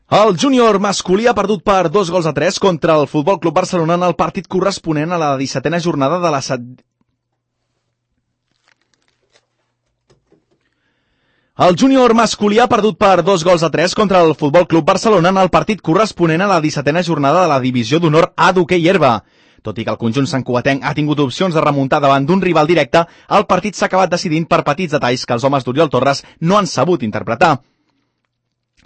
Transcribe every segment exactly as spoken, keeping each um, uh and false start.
El júnior masculí ha perdut per dos gols a tres contra el Futbol Club Barcelona en el partit corresponent a la dissetena jornada de la set... El júnior masculí ha perdut per dos gols a tres contra el Futbol Club Barcelona en el partit corresponent a la dissetena jornada de la divisió d'honor A d'hoquei herba. Tot i que el conjunt santcugatenc ha tingut opcions de remuntar davant d'un rival directe, el partit s'ha acabat decidint per petits detalls que els homes d'Oriol Torres no han sabut interpretar.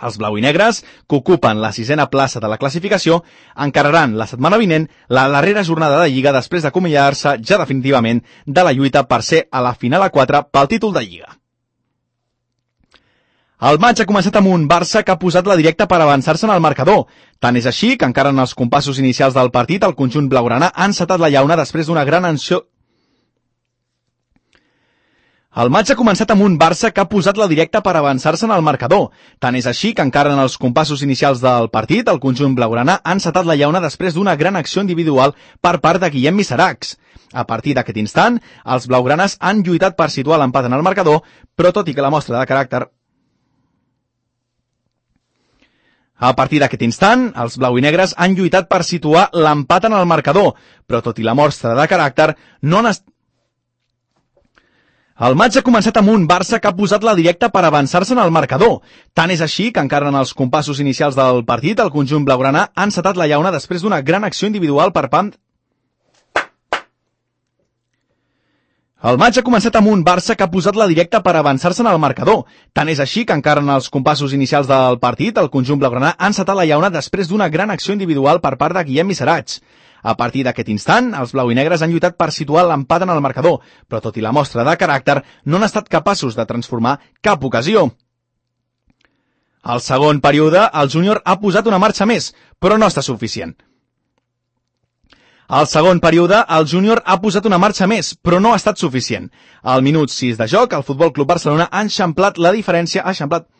Els blau i negres, que ocupen la sisena plaça de la classificació, encararan la setmana vinent la darrera jornada de Lliga després d'acomiadar-se ja definitivament de la lluita per ser a la final a quatre pel títol de Lliga. El maig ha començat amb un Barça que ha posat la directa per avançar-se en el marcador. Tant és així que encara en els compassos inicials del partit el conjunt blaugrana ha encetat la llauna després d'una gran acció... El maig ha començat amb un Barça que ha posat la directa per avançar-se en el marcador. Tant és així que encara en els compassos inicials del partit el conjunt blaugrana ha encetat la llauna després d'una gran acció individual per part de Guillem Miseracs. A partir d'aquest instant, els blaugranes han lluitat per situar l'empat en el marcador, però tot i que la mostra de caràcter... A partir d'aquest instant, els blau i negres han lluitat per situar l'empat en el marcador, però tot i la mostra de caràcter, no han estat... El maig ha començat amb un Barça que ha posat la directa per avançar-se en el marcador. Tant és així que encara en els compassos inicials del partit el conjunt blaugrana ha encetat la llauna després d'una gran acció individual per part... El maig ha començat amb un Barça que ha posat la directa per avançar-se en el marcador. Tant és així que encara en els compassos inicials del partit el conjunt blaugrana ha encetat la llauna després d'una gran acció individual per part de Guillem Miseracs. A partir d'aquest instant, els blau i negres han lluitat per situar l'empat en el marcador, però tot i la mostra de caràcter, no han estat capaços de transformar cap ocasió. Al segon període, el júnior ha posat una marxa més, però no està suficient. Al segon període, el júnior ha posat una marxa més, però no ha estat suficient. Al minut sis de joc, el Futbol Club Barcelona ha eixamplat la diferència, ha eixamplat...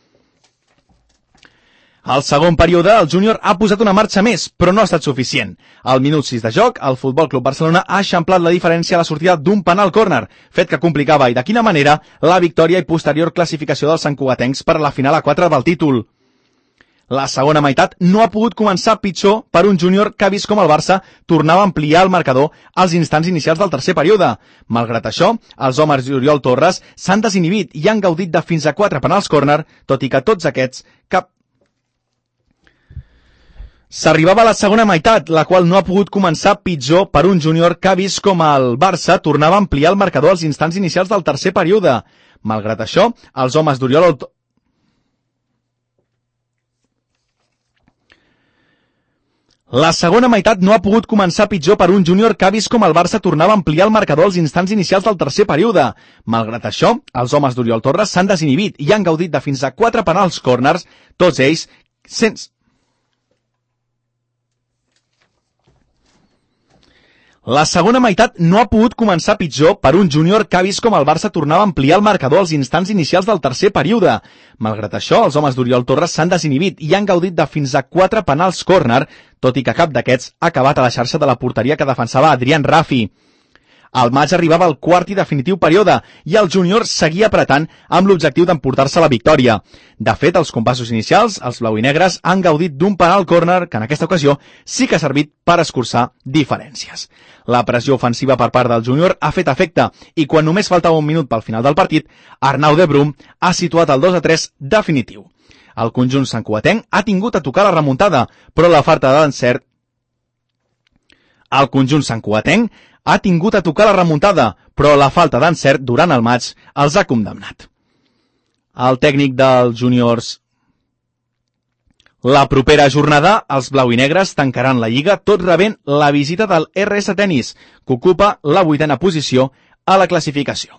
Al segon període, el júnior ha posat una marxa més, però no ha estat suficient. Al minut sis de joc, el Futbol Club Barcelona ha eixamplat la diferència a la sortida d'un penal córner, fet que complicava i de quina manera la victòria i posterior classificació dels santcugatencs per a la final a quatre del títol. La segona meitat no ha pogut començar pitjor per un júnior que ha vist com el Barça tornava a ampliar el marcador als instants inicials del tercer període. Malgrat això, els homes d'Oriol Torres s'han desinhibit i han gaudit de fins a quatre penals córner, tot i que tots aquests cap... S'arribava a la segona meitat, la qual no ha pogut començar pitjor per un júnior que ha vist com el Barça tornava a ampliar el marcador als instants inicials del tercer període. Malgrat això, els homes d'Oriol... La segona meitat no ha pogut començar pitjor per un júnior que ha vist com el Barça tornava a ampliar el marcador als instants inicials del tercer període. Malgrat això, els homes d'Oriol Torres s'han desinhibit i han gaudit de fins a quatre penals córners, tots ells sense... La segona meitat no ha pogut començar pitjor per un júnior que ha vist com el Barça tornava a ampliar el marcador als instants inicials del tercer període. Malgrat això, els homes d'Oriol Torres s'han desinhibit i han gaudit de fins a quatre penals córner, tot i que cap d'aquests ha acabat a la xarxa de la porteria que defensava Adrián Rafi. Al maig arribava el quart i definitiu període i el júnior seguia apretant amb l'objectiu d'emportar-se la victòria. De fet, als compassos inicials, els blau i negres han gaudit d'un penal córner que en aquesta ocasió sí que ha servit per escurçar diferències. La pressió ofensiva per part del júnior ha fet efecte i quan només faltava un minut pel final del partit, Arnau de Brum ha situat el dos a tres definitiu. El conjunt santcugatenc ha tingut a tocar la remuntada, però la falta d'encert... El conjunt santcugatenc ha tingut a tocar la remuntada, però la falta d'encert durant el maig els ha condemnat. El tècnic dels júniors... La propera jornada, els blau i negres tancaran la Lliga tot rebent la visita del R S Tenis, que ocupa la vuitena posició a la classificació.